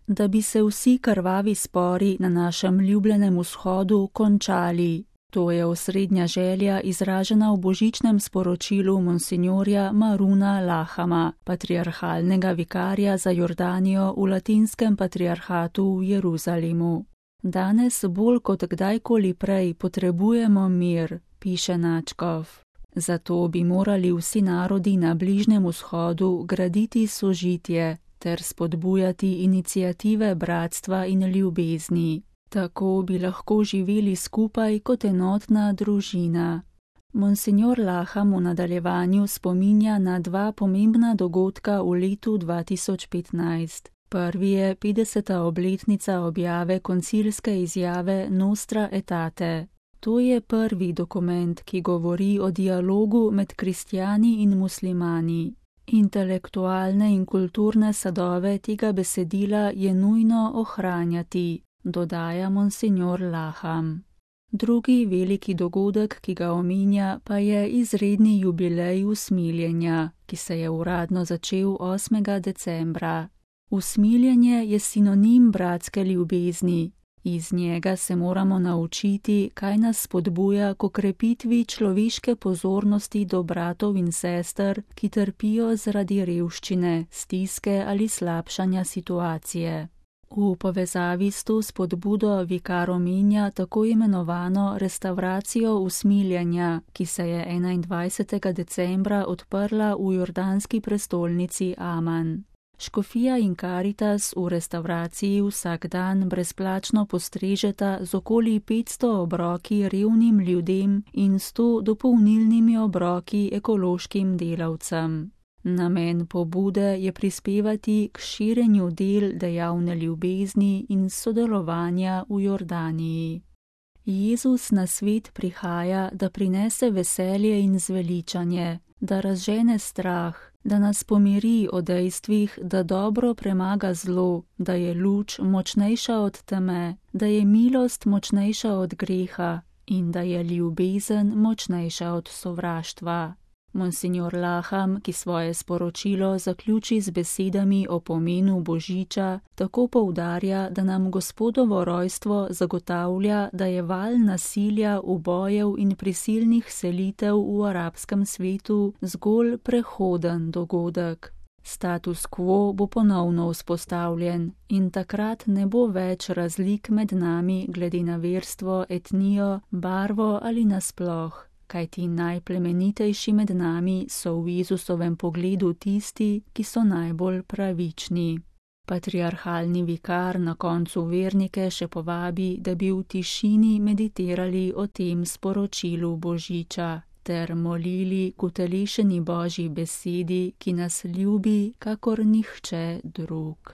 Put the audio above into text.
da bi se vsi krvavi spori na našem ljubljenem vzhodu končali. To je osrednja želja izražena v božičnem sporočilu monsinjorja Maruna Lahama, patriarhalnega vikarja za Jordanijo v latinskem patriarhatu v Jeruzalemu. Danes bolj kot kdajkoli prej potrebujemo mir, piše nadškof. Zato bi morali vsi narodi na Bližnjem vzhodu graditi sožitje ter spodbujati iniciative bratstva in ljubezni. Tako bi lahko živeli skupaj kot enotna družina. Monsinjor Laham v nadaljevanju spominja na dva pomembna dogodka v letu 2015. Prvi je 50. obletnica objave koncilske izjave Nostra Aetate. To je prvi dokument, ki govori o dialogu med kristjani in muslimani. Intelektualne in kulturne sadove tega besedila je nujno ohranjati, dodaja monsinjor Laham. Drugi veliki dogodek, ki ga omenja, pa je izredni jubilej usmiljenja, ki se je uradno začel 8. decembra. Usmiljenje je sinonim bratske ljubezni. Iz njega se moramo naučiti, kaj nas spodbuja k okrepitvi človeške pozornosti do bratov in sester, ki trpijo zaradi revščine, stiske ali slabšanja situacije. V povezavi s to spodbudo vikar omenja tako imenovano restavracijo usmiljenja, ki se je 21. decembra odprla v jordanski prestolnici Aman. Škofija in Karitas v restavraciji vsak dan brezplačno postrežeta z okoli 500 obroki revnim ljudem in 100 dopolnilnimi obroki ekološkim delavcem. Namen pobude je prispevati k širjenju del dejavne ljubezni in sodelovanja v Jordaniji. Jezus na svet prihaja, da prinese veselje in zveličanje, da razžene strah, da nas pomiri o dejstvih, da dobro premaga zlo, da je luč močnejša od teme, da je milost močnejša od greha in da je ljubezen močnejša od sovraštva. Monsinjor Laham, ki svoje sporočilo zaključi z besedami o pomenu božiča, tako poudarja, da nam Gospodovo rojstvo zagotavlja, da je val nasilja, ubojev in prisilnih selitev v arabskem svetu zgolj prehoden dogodek. Status quo bo ponovno vzpostavljen in takrat ne bo več razlik med nami glede na verstvo, etnijo, barvo ali nasploh. Kajti najplemenitejši med nami so v Jezusovem pogledu tisti, ki so najbolj pravični. Patriarhalni vikar na koncu vernike še povabi, da bi v tišini meditirali o tem sporočilu božiča ter molili k utelešeni Božji besedi, ki nas ljubi kakor nihče drug.